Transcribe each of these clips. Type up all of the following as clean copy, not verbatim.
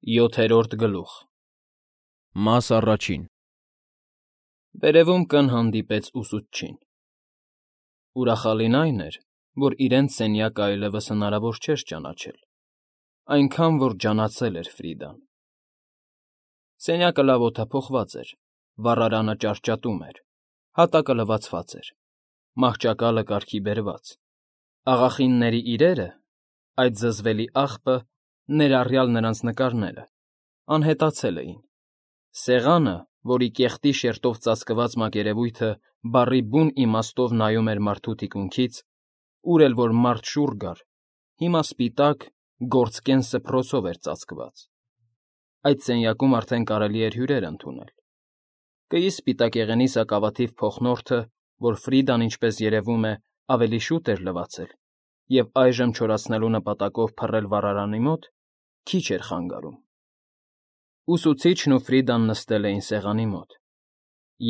ՅՈԹԵՐՈՐԴ ԳԼՈՒԽ Մաս առաջին Վերևում կն հանդիպեց ուսուցչին։ Ուրախալին այն էր, որ իրենց սենյակը այլևս հնարավոր չէր ճանաչել, այնքան, որ ջանացել էր Ֆրիդան։ Սենյակը լավ օդափոխված էր, վառարանը ճարճատում էր, հատակը լվացված էր, մահճակալը կարգի բերված, աղախինների իրերը, այդ զզվելի աղբը, ներառյալ նրանց նկարները, անհետացել էին։ Սեղանը, որի կեղտի շերտով ծածկված մակերևույթը բառի բուն իմաստով նայում էր մարդու թիկունքից, ուր էլ որ մարդ շուռ գար, հիմա սպիտակ, գործկեն սփռոցով էր ծածկված։ Այդ սենյակում արդեն կարելի էր հյուրեր ընդունել։ Կեիս սպիտակեղենի սակավաթիվ փոխնորդը, որ Ֆրիդան, ինչպես երևում է, ավելի շուտ էր լվացել, և այժմ չորացնելու նպատակով փռել վառարանի մոտ, քիչ էր խանգարում։ Ուսուցիչն ու Ֆրիդան նստել էին սեղանի մոտ,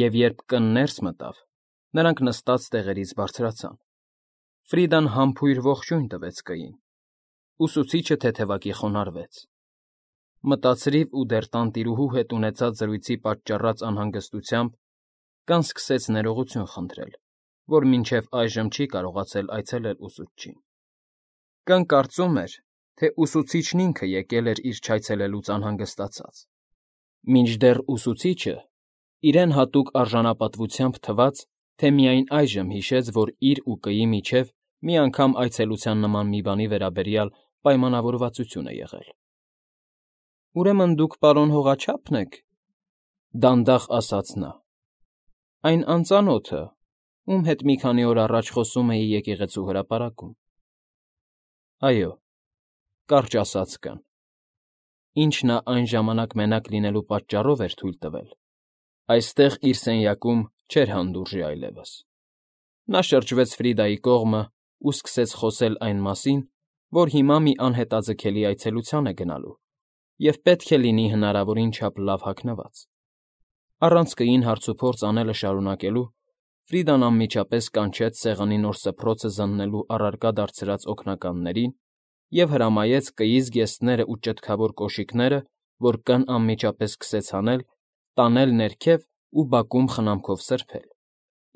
և երբ կն ներս մտավ, նրանք նստած տեղերից բարձրացան։ Ֆրիդան համբույր ողջույն տվեց կыին, ուսուցիչը թեթևակի խոնարհվեց։ Մտածրիվ ու դեռ տանտիրուհու հետ ունեցած զրույցի պատճառած անհանգստությամբ կն սկսեց ներողություն խնդրել, որ մինչև այժմ չի կարողացել այցելել ուսուցչին։ Կն կարծում էր, թե ուսուցիչն ինքը եկել էր իր չայցելելուց անհանգստացած, մինչդեռ ուսուցիչը իրեն հատուկ արժանապատվությամբ թվաց, թե միայն այժմ հիշեց, որ իր ու կыի միջև մի անգամ այցելության նման մի բանի վերաբերյալ պայմանավորվածություն է եղել։ «Ուրեմն դուք պարոն հողաչա՞փն եք,֊ դանդաղ ասաց նա,֊ այն անծանոթը, ում հետ մի քանի օր առաջ խոսում էի եկեղեցու հրապարակում»։ «Այո,֊ կարճ ասաց կն, ինչ նա այն ժամանակ մենակ լինելու պատճառով էր թույլ տվել, այստեղ իր սենյակում չէր հանդուրժի այլևս»։ Նա շրջվեց Ֆրիդայի կողմը ու սկսեց խոսել այն մասին, որ հիմա մի անհետաձգելի այցելության է գնալու և պետք է լինի հնարավորին չափ լավ հագնված։ Առանց կыին հարցուփորձ անելը շարունակելու, Ֆրիդան անմիջապես կանչեց սեղանի նոր սփռոցը զննելու առարկա դարձրած օգնականներին և հրամայեց կыի զգեստներն ու ճտկավոր կոշիկները, որ կն անմիջապես սկսեց հանել, տանել ներքև ու բակում խնամքով սրբել,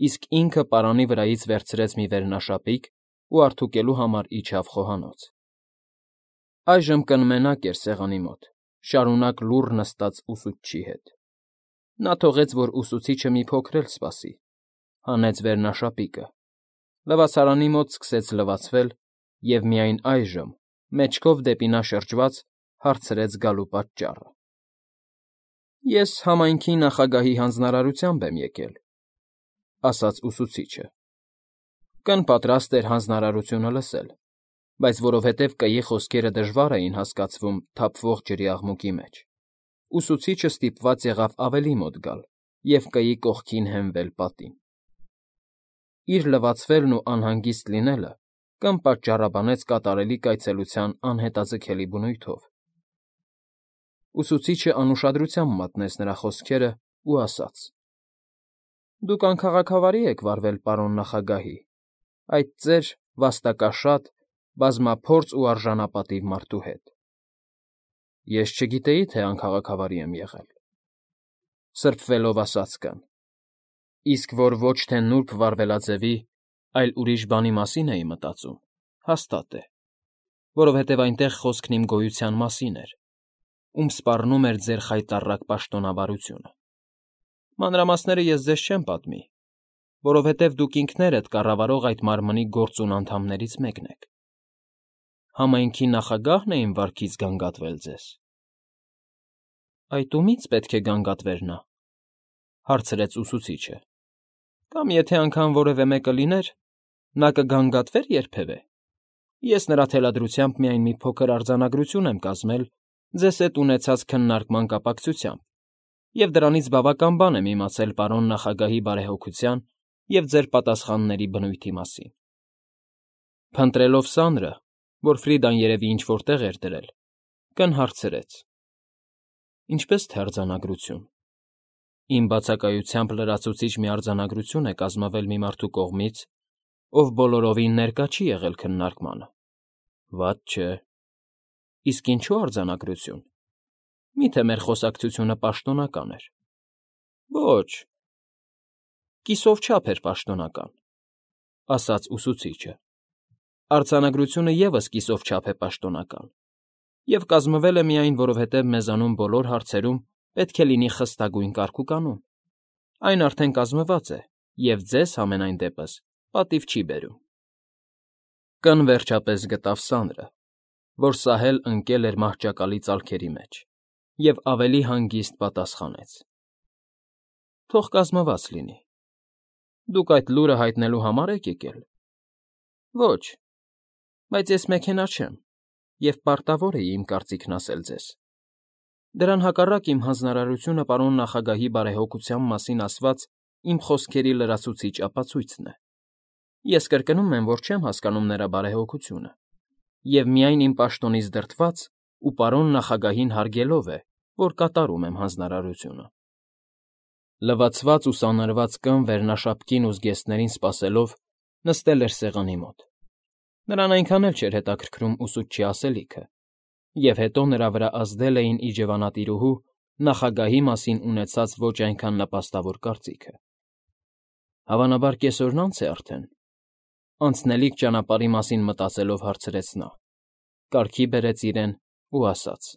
իսկ ինքը պարանի վրայից վերցրեց մի վերնաշապիկ ու արդուկելու համար իջավ խոհանոց։ Այժմ կն մենակ էր սեղանի մոտ, շարունակ լուռ նստած ուսուցչի հետ։ Նա թողեց, որ ուսուցիչը մի փոքր էլ սպասի, հանեց վերնաշապիկը, լվացարանի մոտ սկսեց լվացվել և միայն այժմ, մեջքով դեպի նա շրջված, հարցրեց գալու պատճառը։ «Ես համայնքի նախագահի հանձնարարությամբ եմ եկել,֊ ասաց ուսուցիչը։ Կն պատրաստ էր հանձնարարությունը լսել, բայց որովհետև կыի խոսքերը դժվար էին հասկացվում թափվող ջրի աղմուկի մեջ, ուսուցիչը ստիպված եղավ ավելի մոտ գալ և կыի կողքին հենվել պատին։ Իր լվացվելն ու անհանգիստ լինելը կն պատճառաբանեց կատարելիք այցելության անհետաձգելի բնույթով։ Ուսուցիչն անուշադրությամբ մատնեց նրա խոսքերն ու ասաց. «Դուք անքաղաքավարի եք վարվել պարոն նախագահի, այդ ծեր վաստակաշատ, բազմափորձ ու արժանապատիվ մարդու հետ»։ «Ես չգիտեի, թե անքաղաքավարի եմ եղել,֊ սրբվելով ասաց կն,֊ իսկ որ ոչ թե նուրբ վարվելաձևի, այլ ուրիշ բանի մասին էի մտածում, հաստատ է, որովհետև այնտեղ խոսքն իմ գոյության մասին էր, ում սպառնում էր ձեր խայտառակ պաշտոնավարությունը։ Մանրամասները ես ձեզ չեմ պատմի, որովհետև դուք ինքներդ կառավարող այդ մարմնի գործուն անդամներից մեկն եք։ Համայնքի նախագահն է իմ վարքից գանգատվել ձեզ։ Այդ ումի՞ց պետք է գանգատվեր նա,֊ հարցրեց ուսուցիչը։ Կամ եթե անգամ որևէ մեկը լիներ, նա կգանգատվե՞ր երբևէ։ Ես նրա թելադրությամբ միայն մի փոքր արձանագրություն եմ կազմել ձեզ հետ ունեցած քննարկման կապակցությամբ և դրանից բավական բան եմ իմացել պարոն նախագահի բարեհոգության և ձեր պատասխանների բնույթի մասին։ Փնտրելով սանրը, որ Ֆրիդան երևի ինչ֊որ տեղ էր դրել, կն հարցրեց. «Ինչպե՞ս թե արձանագրություն։ Իմ բացակայությամբ լրացուցիչ մի արձանագրություն է կազմվել մի մարդու կողմից, ով բոլորովին ներկա չի եղել քննարկմանը։ Վատ չէ։ Իսկ ինչո՞ւ արձանագրություն։ Մի՞թե մեր խոսակցությունը պաշտոնական էր։ Ոչ, կիսով չափ էր պաշտոնական, ասաց ուսուցիչը։ Արձանագրությունը ևս կիսով չափ է պաշտոնական, և կազմվել է միայն, որովհետև մեզանում բոլոր հարցերում պետք է լինի խստագույն կարգուկանոն։ Այն արդեն կազմված է, և ձեզ, համենայն դեպս, պատիվ չի բերում։ Կն վերջապես գտավ սանրը, որ սահել ընկել էր մահճակալի ծալքերի մեջ, և ավելի հանգիստ պատասխանեց. Թող կազմված լինի։ Դուք այդ լուրը հայտնելու համար եք եկել։ Ոչ, բայց ես մեքենա չեմ, և պարտավոր էի իմ կարծիքն ասել ձեզ։ Դրան հակառակ իմ հանձնարարությունը պարոն նախագահի բարեհոգության մասին ասված իմ խոսքերի լրացուցիչ ապացույցն է։ Ես կրկնում եմ, որ չեմ հասկանում նրա բարեհոգությունը, և միայն իմ պաշտոնից դրդված ու պարոն նախագահին հարգելով է, որ կատարում եմ հանձնարարությունը։ Լվացված ու սանրված կն վերնաշապկին ու զգեստներին սպասելով նստել էր սեղանի մոտ։ Նրան այնքան էլ չէր հետաքրքրում ուսուցչի ասելիքը, և հետո նրա վրա ազդել էին իջևանատիրուհու նախագահի մասին ունեցած ոչ այնքան նպաստավոր կարծիքը։ Հավանաբար կեսօրն անց է արդեն, անցնելիք ճանապարհի մասին մտածելով հարցրեց նա, կարգի բերեց իրեն ու ասաց.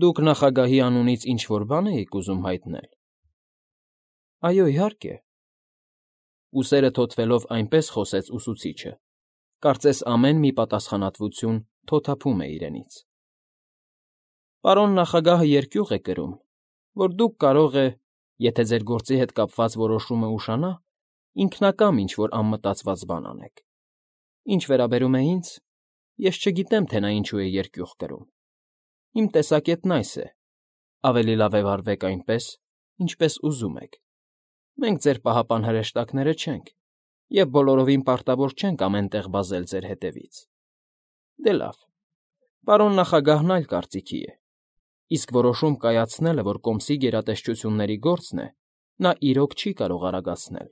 Դուք նախագահի անունից ինչ֊որ բան էիք ուզում հայտնել։ Այո, իհարկե։ Ուսերը թոթվելով այնպես խոսեց ուսուցիչը, կարծես ամեն մի պատասխանատվություն թոթափում է իրենից։ Պարոն նախագահը երկյուղ է կրում, որ դուք կարող է, եթե ձեր գործի հետ կապված որոշումը ուշանա, ինքնակամ ինչ-որ անմտածված բան անեք։ Ինչ վերաբերում է ինձ, ես չգիտեմ, թե նա ինչու է երկյուղ կրում։ Իմ տեսակետն այս է. ավելի լավ է վարվեք այնպես, ինչպես ուզում եք։ Մենք ձեր պահապան հրեշտակները չենք, և բոլորովին պարտավոր չենք ամեն տեղ վազել ձեր հետևից։ Դե լավ, պարոն նախագահն այլ կարծիքի է, իսկ որոշում կայացնելը, որ կոմսի գերատեսչությունների գործն է, նա իրոք չի կարող արագացնել։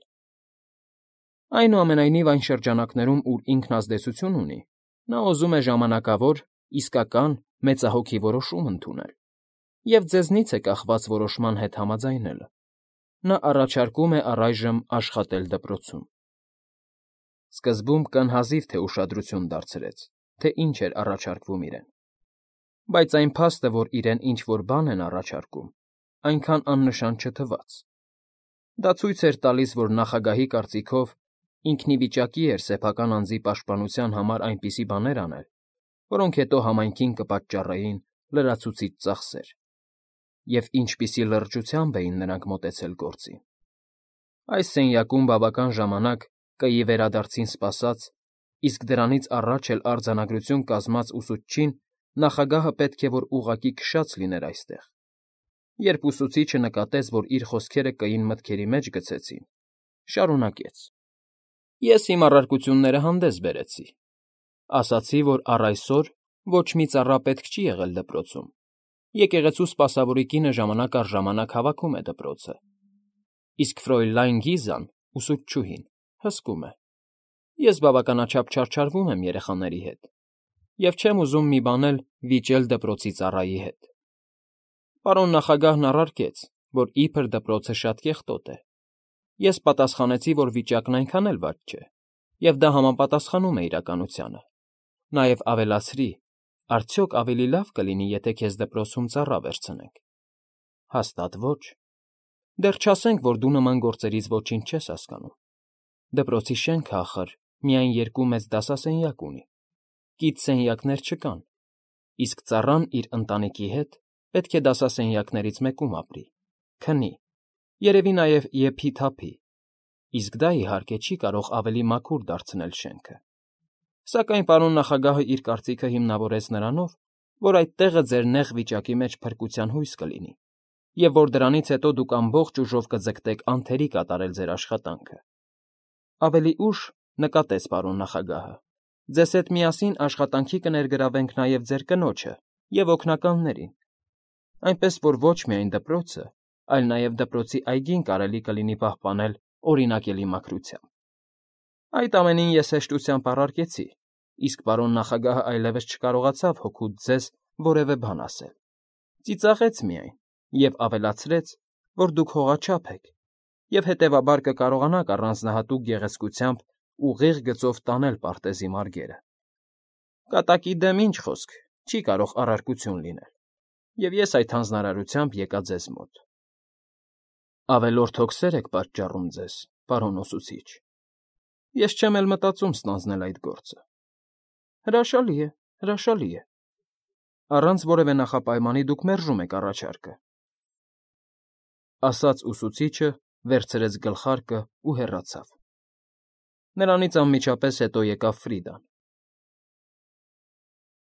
Այնուամենայնիվ այն շրջանակներում, ուր ինքն ազդեցություն ունի, նա ուզում է ժամանակավոր, իսկական, մեծահոգի որոշում ընդունել, և ձեզնից է կախված որոշման հետ համաձայնելը։ Նա առաջարկում է առայժմ աշխատել դպրոցում։ Սկզբում կն հազիվ թե ուշադրություն դարձրեց, թե ինչ էր առաջարկվում իրեն, բայց այն փաստը, որ իրեն ինչ֊որ բան են առաջարկում, այնքան աննշան չթվաց։ Դա ցույց էր տալիս, որ նախագահի կարծիքով ինքն ի վիճակի էր սեփական անձի պաշտպանության համար այնպիսի բաներ անել, որոնք հետո համայնքին կպատճառեին լրացուցիչ ծախսեր, և ինչպիսի լրջությամբ էին նրանք մոտեցել գործին։ Այս սենյակում բավական ժամանակ կըի վերադարձին սպասած, իսկ դրանից առաջ էլ արձանագրություն կազմած ուսուցչին նախագահը պետք է որ ուղղակի քշած լիներ այստեղ։ Երբ ուսուցիչը նկատեց, որ իր խոսքերը կային մտքերի մեջ գցեցին, շարունակեց. Ես իմ առարկությունները հանդես բերեցի։ Ասացի, որ առ այսօր ոչ մի ծառա պետք չի եղել դպրոցում։ Եկեղեցու սպասավորի կինը ժամանակ առ ժամանակ հավաքում է դպրոցը։ Իսկ Ֆրոյլայն Գիզան, ուսուցչուհին, հսկում է։ Ես բավականաչափ չարչարվում եմ երեխաների հետ, և չեմ ուզում մի բան էլ վիճել դպրոցի ծառայի հետ։ Պարոն նախագահն առարկեց, որ իբր դպրոցը շատ կեղտոտ է։ Ես պատասխանեցի, որ վիճակն այնքան էլ վատ չէ, և դա համապատասխանում է իրականությանը։ Նաև ավելացրի. արդյոք ավելի լավ կլինի, եթե քեզ դպրոցում ծառա վերցնենք։ Հաստատ ոչ։ Դեռ չասենք, որ դու նման գործերից ոչինչ չես հասկանում։ Դպրոցի շենքը, ախր, միայն 2 մեծ դասասենյակ ունի, կից սենյակներ չկան, իսկ ծառան իր ընտանիքի հետ պետք է դասասենյակներից մեկում ապրի, քնի, երևի նաև եփի-թափի, իսկ դա, իհարկե, չի կարող ավելի մաքուր դարձնել շենքը։ Սակայն պարոն նախագահը իր կարծիքը հիմնավորեց նրանով, որ այդ տեղը ձեր նեղ վիճակի մեջ փրկության հույս կլինի, և որ դրանից հետո դուք ամբողջ ուժով կձգտեք անթերի կատարել ձեր աշխատանքը։ Ավելի ուշ, նկատեց պարոն նախագահը, ձեզ հետ միասին աշխատանքի կներգրավենք նաև ձեր կնոջը և օգնականներին, այնպես որ ոչ միայն դպրոցը, այլ նաև դպրոցի այգին կարելի կլինի պահպանել օրինակելի մաքրությամբ։ Այդ ամենին ես հեշտությամբ առարկեցի, իսկ պարոն նախագահը այլևս չկարողացավ հօգուտ ձեզ որևէ բան ասել։ ծիծաղեց միայն և ավելացրեց, որ դուք հողաչափ եք և հետևաբար կկարողանաք առանձնահատուկ գեղեցկությամբ ուղիղ գծով տանել պարտեզի մարգերը։ Կատակի դեմ ինչ խոսք, չի կարող առարկություն լինել, և ես այդ հանձնարարությամբ եկա ձեզ մոտ։ Ավելորդ հոգսեր եք պատճառում ձեզ, պարոն ուսուցիչ։ Ես չեմ էլ մտածում ստանձնել այդ գործը։ Հրաշալի է, հրաշալի է։ Առանց որևէ նախապայմանի դուք մերժում եք առաջարկը, ասաց ուսուցիչը, վերցրեց գլխարկն ու հեռացավ։ Նրանից անմիջապես հետո եկավ Ֆրիդան։